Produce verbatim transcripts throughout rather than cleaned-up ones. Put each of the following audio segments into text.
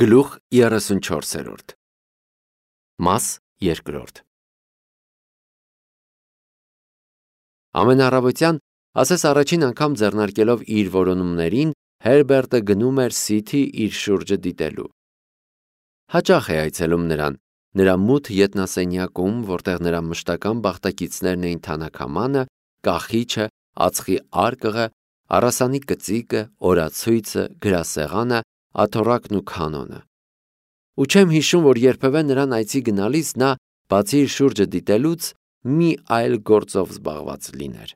Գլուխ երեսունչորսերորդ Մաս երկրորդ Ամեն առավոտյան, ասես առաջին անգամ ձեռնարկելով իր որոնումներին, Հերբերտը գնում էր Սիթի իր շուրջը դիտելու։ Հաճախ է այցելում նրան, նրա մութ ետնասենյակում, որտեղ նրա մշտական բախտակիցներն էին թանաքամանը, կախիչը, ածխի արկղը, առասանի կծիկը, օրացույցը, գրասեղանը, աթոռակն ու քանոնը։ Ու չեմ հիշում, որ երբևէ նրան այցի գնալիս նա, բացի իր շուրջը դիտելուց, մի այլ գործով զբաղված լիներ։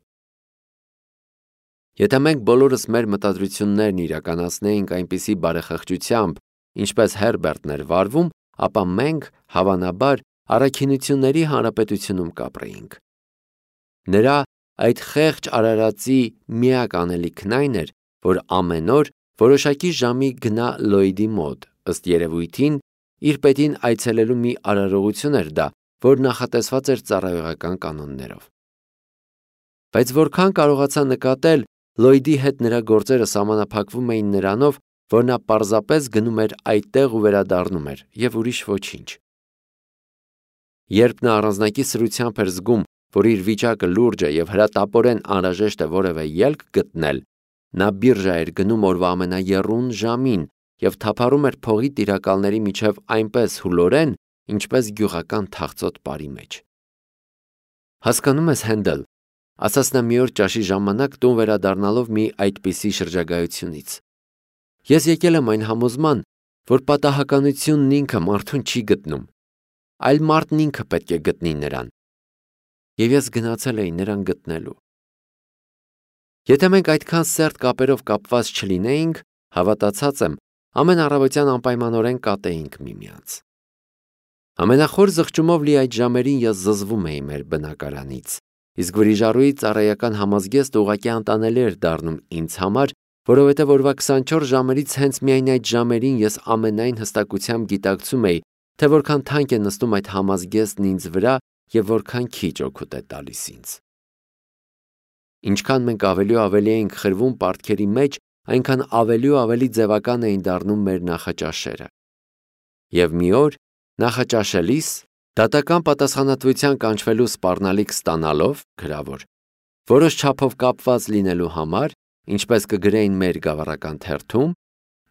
Եթե մենք բոլորս մեր մտադրություններն իրականացնեինք այնպիսի բարեխղճությամբ, ինչպես Հերբերտն էր վարվում, ապա մենք, հավանաբար, առաքինությունների հանրապետությունում կապրեինք։ Նրա այդ խեղճ արարածի միակ անելիքն այն էր, որ ամեն օր որոշակի ժամի գնա Լլոյդի մոտ, ըստ երևույթին, իր պետին այցելելու մի արարողություն էր դա, որ նախատեսված էր ծառայողական կանոններով։ Բայց որքան կարողացա նկատել, Լլոյդի հետ նրա գործերը սահմանափակվում էին նրանով, որ նա պարզապես գնում էր այդտեղ ու վերադառնում էր, և ուրիշ ոչինչ։ Երբ նա առանձնակի սրությամբ էր զգում, որ իր վիճակը լուրջ է և հրատապորեն անհրաժեշտ է որևէ ելք գտնել, նա բիրժա էր գնում օրվա ամենաեռուն ժամին և թափառում էր փողի տիրակալների միջև այնպես հուլորեն, ինչպես գյուղական թախծոտ պարի մեջ։ Հասկանո՞ւմ ես, Հենդել, ասաց նա մի օր ճաշի ժամանակ տուն վերադառնալով մի այդպիսի շրջագայությունից, ես եկել եմ այն համոզման, որ պատահականությունն ինքը մարդուն չի գտնում, այլ մարդն ինքը պետք է գտնի նրան, և ես գնացել էի նրան գտնելու։ Եթե մենք այդքան սերտ կապերով կապված չլինեինք, հավատացած եմ, ամեն առավոտյան անպայմանորեն կատեինք միմյանց։ Ամենախոր զղջումով լի այդ ժամերին ես զզվում էի մեր բնակարանից, իսկ վրիժառուի ծառայական համազգեստը ուղղակի անտանելի էր դառնում ինձ համար, որովհետև օրվա քսանչորս ժամերից հենց միայն այդ ժամերին ես ամենայն հստակությամբ գիտակցում էի, թե որքան թանկ է նստում այդ համազգեստն ինձ վրա և որքան քիչ օգուտ է տալիս ինձ։ Ինչքան մենք ավելի ու ավելի էինք խրվում պարտքերի մեջ, այնքան ավելի ու ավելի ձևական էին դառնում մեր նախաճաշերը։ Եվ մի օր, նախաճաշելիս, դատական պատասխանատվության կանչվելու սպառնալիք ստանալով, գրավոր, որոշ չափով կապված լինելու համար, ինչպես կգրեին մեր գավառական թերթում,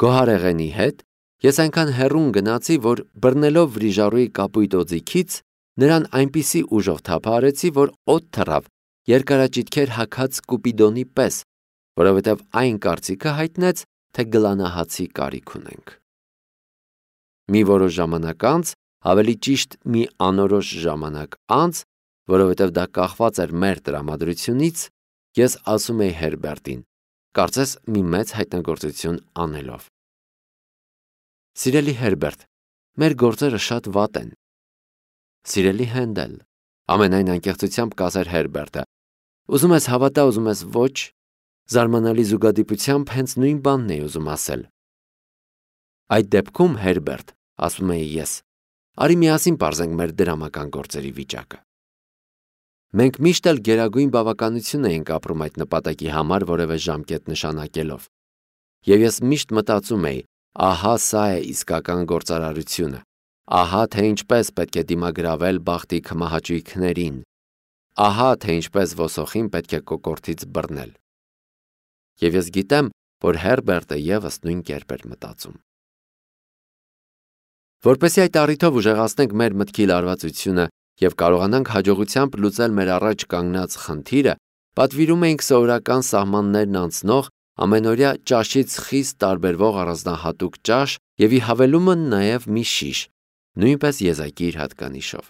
գոհարեղենի հետ, ես այնքան հեռուն գնացի, որ բռնելով վրիժառուի կապույտ օձիքից, նրան այնպիսի ուժով թափահարեցի, որ օդ թռավ, երկարաճիթքեր հագած Կուպիդոնի պես, որովհետև այն կարծիքը հայտնեց, թե գլանահացի կարիք ունենք։ Մի որոշ ժամանակ անց, ավելի ճիշտ մի անորոշ ժամանակ անց, որովհետև դա կախված էր մեր տրամադրությունից, ես ասում էի Հերբերտին, կարծես մի մեծ հայտնագործություն անելով. Սիրելի Հերբերտ, մեր գործերը շատ վատ են։ Սիրելի Հենդել, ամենայն անկեղծությամբ կասեր Հերբերտը, ուզում ես հավատա, ուզում ես ոչ, զարմանալի զուգադիպությամբ հենց նույն բանն էի ուզում ասել։ Այդ դեպքում, Հերբերտ, ասում էի ես, արի միասին պարզենք մեր դրամական գործերի վիճակը։ Մենք միշտ էլ գերագույն բավականություն էինք ապրում այդ նպատակի համար որևէ ժամկետ նշանակելով։ Եվ ես միշտ մտածում էի, ահա սա է իսկական գործարարությունը, ահա թե ինչպես պետք է դիմագրավել բախտի քմահաճույքներին, ահա թե ինչպես ոսոխին պետք է կոկորդից բռնել։ Եվ ես գիտեմ, որ Հերբերտը ևս նույն կերպ էր մտածում։ Որպեսզի այդ առիթով ուժեղացնենք մեր մտքի լարվածությունը և կարողանանք հաջողությամբ լուծել մեր առաջ կանգնած խնդիրը, պատվիրում էինք սովորական սահմաններն անցնող, ամենօրյա ճաշից խիստ տարբերվող առանձնահատուկ ճաշ և ի հավելումը նաև մի շիշ, նույնպես եզակի իր հատկանիշով։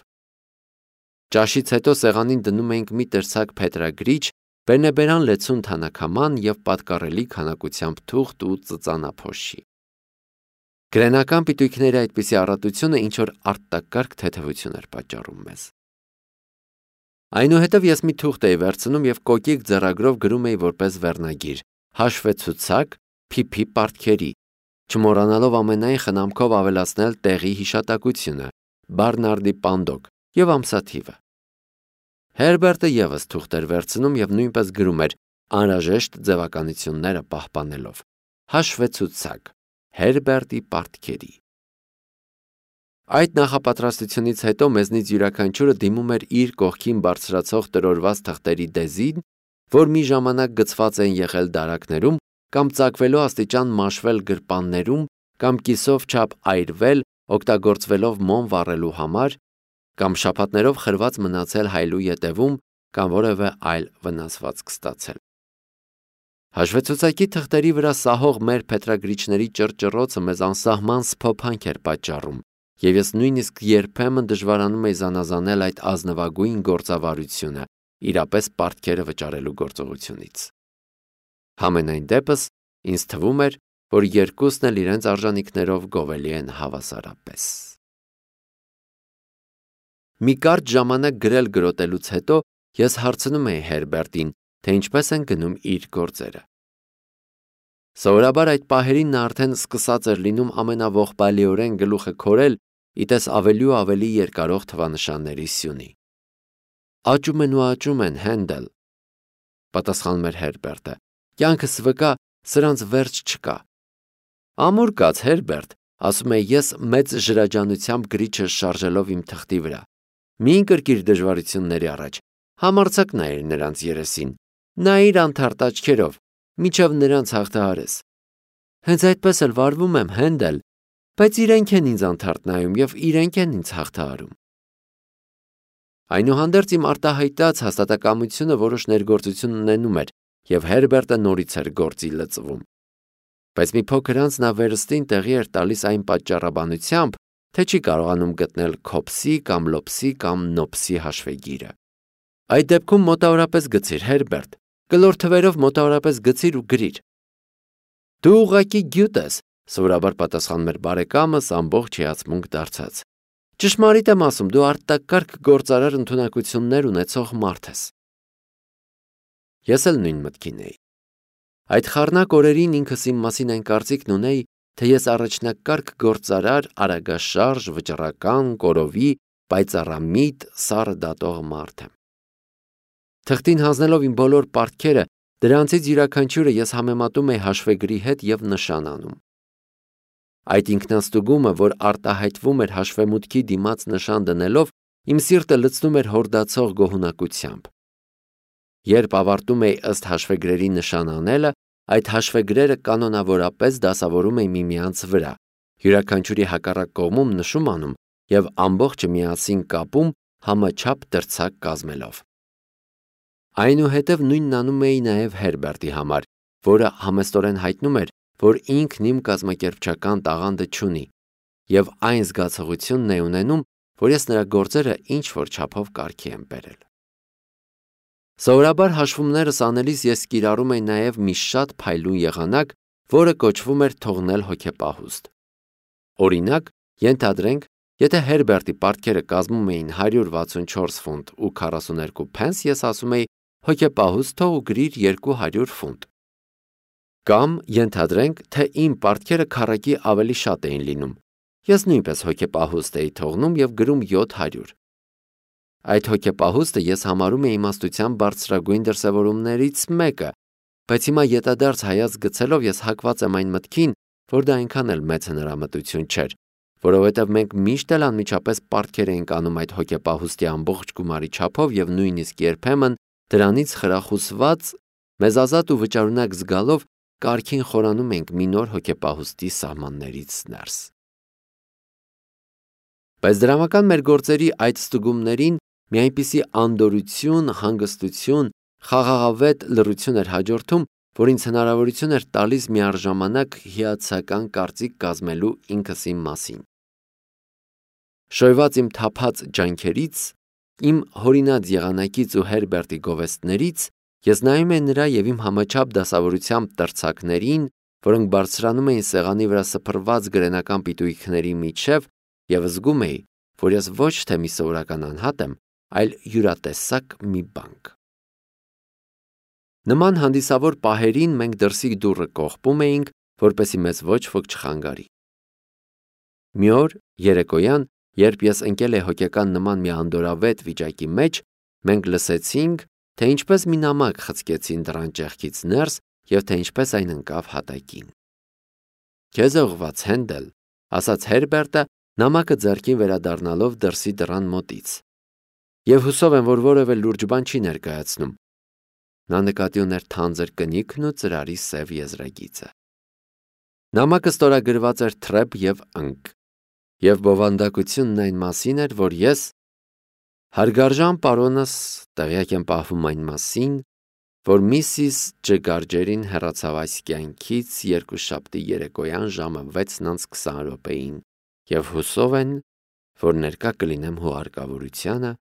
Ճաշից հետո սեղանին դնում էինք մի տրցակ փետրագրիչ, բերնեբերան լեցուն թանաքաման և պատկառելի քանակությամբ թուղթ ու ծծանափոշի։ Գրենական պիտույքների այդպիսի առատությունը ինչ-որ արտակարգ թեթևություն էր պատճառում մեզ։ Այնուհետև ես մի թուղթ էի վերցնում և կոկիկ ձեռագրով գրում էի որպես վերնագիր, հաշվեցուցակ փիփի պարտքերի, չմոռանալով ամենայն խնամքով ավելացնել տեղի հիշատակությունը, Բարնարդի պանդոկ և ամսաթիվը։ Հերբերտը ևս թուղթ էր վերցնում և նույնպես գրում էր անհրաժեշտ ձևականությունները պահպանելով, հաշվեցուցակ, Հերբերտի պարտքերի։ Այդ նախապատրաստությունից հետո մեզնից յուրաքանչյուրը դիմում էր իր կողքին բարձրացող տրորված թղթերի դեզին, որ մի ժամանակ գցված են եղել դարակներում կամ ծակվելու աստիճան մաշվել գրպաններում կամ կիսով չափ այրվել, օգտագործվելով մոմ վառելու համար, կամ շաբաթներով խրված մնացել հայլու ետևում կամ որևէ այլ վնասվածք ստացել։ Հաշվեցուցակի թղթերի վրա սահող մեր փետրագրիչների ճռճռոցը մեզ անսահման սփոփանք էր պատճառում, եւ ես նույնիսկ երբեմն դժվարանում էի զանազանել այդ ազնվագույն գործավարությունը իրապես պարտքերը վճարելու գործողությունից։ Համենայն դեպս ինձ թվում էր, որ երկուսն էլ իրենց արժանինքներով գովելի են հավասարապես։ Մի կարճ ժամանակ գրել գրոտելուց հետո ես հարցնում էի Հերբերտին, թե ինչպես են գնում իր գործերը։ Սովորաբար այդ պահերին նա արդեն սկսած էր լինում ամենաողբալիորեն գլուխը քորել, իտես ավելի ու ավելի երկարող թվանշանների սյունի։ Աճում են ու աճում են, Հենդել, պատասխանում էր Հերբերտը, կյանքս վկա, սրանց վերջ չկա։ Ամուր կաց, Հերբերտ, ասում էի ես մեծ ժրաջանությամբ գրիչը շարժելով իմ թղթի վրա։ Մի ընկրկիր դժվարությունների առաջ, համարձակ նայիր նրանց երեսին, նայիր անթարթ աչքերով, միջև նրանց հաղթահարես։ Հենց այդպես էլ վարվում եմ, Հենդել, բայց իրենք են ինձ անթարթ նայում և իրենք են ինձ հաղթահարում։ Այնուհանդերձ իմ արտահայտած հաստատակամությունը որոշ ներգործություն ունենում էր, և Հերբերտը նորից էր գործի լծվում։ Բայց մի փոքր անց նա վերստին տեղի էր տալիս այն պատճառաբանությամբ, թե չի կարողանում գտնել քոփսի կամ լոփսի կամ նոփսի հաշվեգիրը։ Այդ դեպքում մոտավորապես գցիր, Հերբերտ, կլոր թվերով մոտավորապես գցիր ու գրիր։ Դու ուղղակի գյուտ ես, սովորաբար պատասխանում էր բարեկամս ամբողջ հիացմունք դարձած։ Ճշմարիտ եմ ասում, դու արտակարգ գործարար ընդունակություններ ունեցող մարդ ես։ Ես էլ նույն մտքին էի։ Այդ խառնակ օրերին ինքս իմ մասին այն կարծիքն ունեի, թե ես առաջնակարգ գործարար, արագաշարժ, վճռական, կորովի, պայծառամիտ, սառը դատող մարդ եմ։ Թղթին հանձնելով իմ բոլոր պարտքերը, դրանցից յուրաքանչյուրը ես համեմատում էի հաշվեգրի հետ և նշան անում։ Այդ ինքնաստուգումը, որ արտահայտվում էր հաշվեմուտքի դիմաց նշան դնելով, իմ սիրտը լցնում էր հորդացող գոհունակությամբ։ Երբ ավարտում էի ըստ հաշվեգրերի նշան անելը, այդ հաշվեգրերը կանոնավորապես դասավորում էի միմյանց վրա, յուրաքանչյուրի հակառակ կողմում նշում անում և ամբողջը միասին կապում համաչափ դրցակ կազմելով։ Այնուհետև նույնն անում էի նաև Հերբերտի համար, որը համեստորեն հայտնում էր, որ ինքն իմ կազմակերպչական տաղանդը չունի, և այն զգացողությունն է ունենում, որ ես նրա գործերը ինչ-որ չափով կարգի եմ բերել։ Սովորաբար հաշվումներս անելիս ես կիրառում էի նաև մի շատ փայլուն եղանակ, որը կոչվում էր թողնել հոգեպահուստ։ Օրինակ, ենթադրենք, եթե Հերբերտի պարտքերը կազմում էին հարյուր վաթսունչորս ֆունտ ու քառասուներկու փենս, ես ասում էի հոգեպահուստ թող ու գրիր երկու հարյուր ֆունտ։ Կամ ենթադրենք, թե իմ պարտքերը քառակի ավելի շատ էին լինում, ես նույնպես հոգեպահուստ էի թողնում և գրում յոթ հարյուր։ Այդ հոգեպահուստը ես համարում էի իմաստության բարձրագույն դրսևորումներից մեկը, բայց հիմա ետադարձ հայացք գցելով ես հակված եմ այն մտքին, որ դա այնքան էլ մեծ հնարամտություն չէր, որովհետև մենք միշտ էլ անմիջապես պարտքեր էինք անում այդ հոգեպահուստի ամբողջ գումարի չափով և նույնիսկ երբեմն դրանից խրախուսված, մեզ ազատ ու վճարունակ զգալով կարգին խորանում ենք մի նոր հոգեպահուստի սահմաններից ներս։ Բայց դրամական մեր գործերի այդ ստուգումներին մի այնպիսի անդորրություն, հանգստություն, խաղաղավետ լռություն էր հաջորդում, որ ինձ հնարավորություն էր տալիս միառժամանակ հիացական կարծիք կազմելու ինքս իմ մասին։ Շոյված իմ թափած ջանքերից, իմ հորինած եղանակից ու Հերբերտի գովեստներից ես նայում էի նրա և իմ համաչափ դասավորությամբ տրցակներին, որոնք բարձրանում էին սեղանի վրա սփռված գրենական պիտույքների միջև, և զգում էի, որ ես ոչ թե մի սովորական անհատ եմ, այլ յուրատեսակ մի բանկ։ Նման հանդիսավոր պահերին մենք դրսի դուռը կողպում էինք, որպեսզի մեզ ոչ ոք չխանգարի։ Մի օր երեկոյան, երբ ես ընկել էի հոգեկան նման մի անդորրավետ վիճակի մեջ, մենք լսեցինք, թե ինչպես մի նամակ խցկեցին դռան ճեղքից ներս և թե ինչպես այն ընկավ հատակին։ Քեզ է ուղղված, Հենդել, ասաց Հերբերտը Նամակը ձեռքին վերադառնալով դրսի դռան մոտից։ Եվ հուսով եմ, որ որևէ լուրջ բան չի ներկայացնում։ Նա նկատի ուներ թանձր կնիքն ու ծրարի սև եզրագիծը։ Նամակը ստորագրված էր թրեպ և ընկ, և բովանդակությունն այն մասին էր, որ ես, հարգարժան պարոնս, տեղյակ եմ պահվում այն մասին, որ միսիս Ջգարջերին հեռացավ այս կյանքից երկուշաբթի երեկոյան ժամը վեցն անց քսան րոպեին, և հուսով են, որ ներկա կլինեմ հուղարկավորությանը,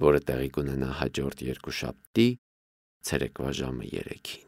որը տեղի կունենա հաջորդ երկուշաբթի ցերեկվա ժամը երեքին։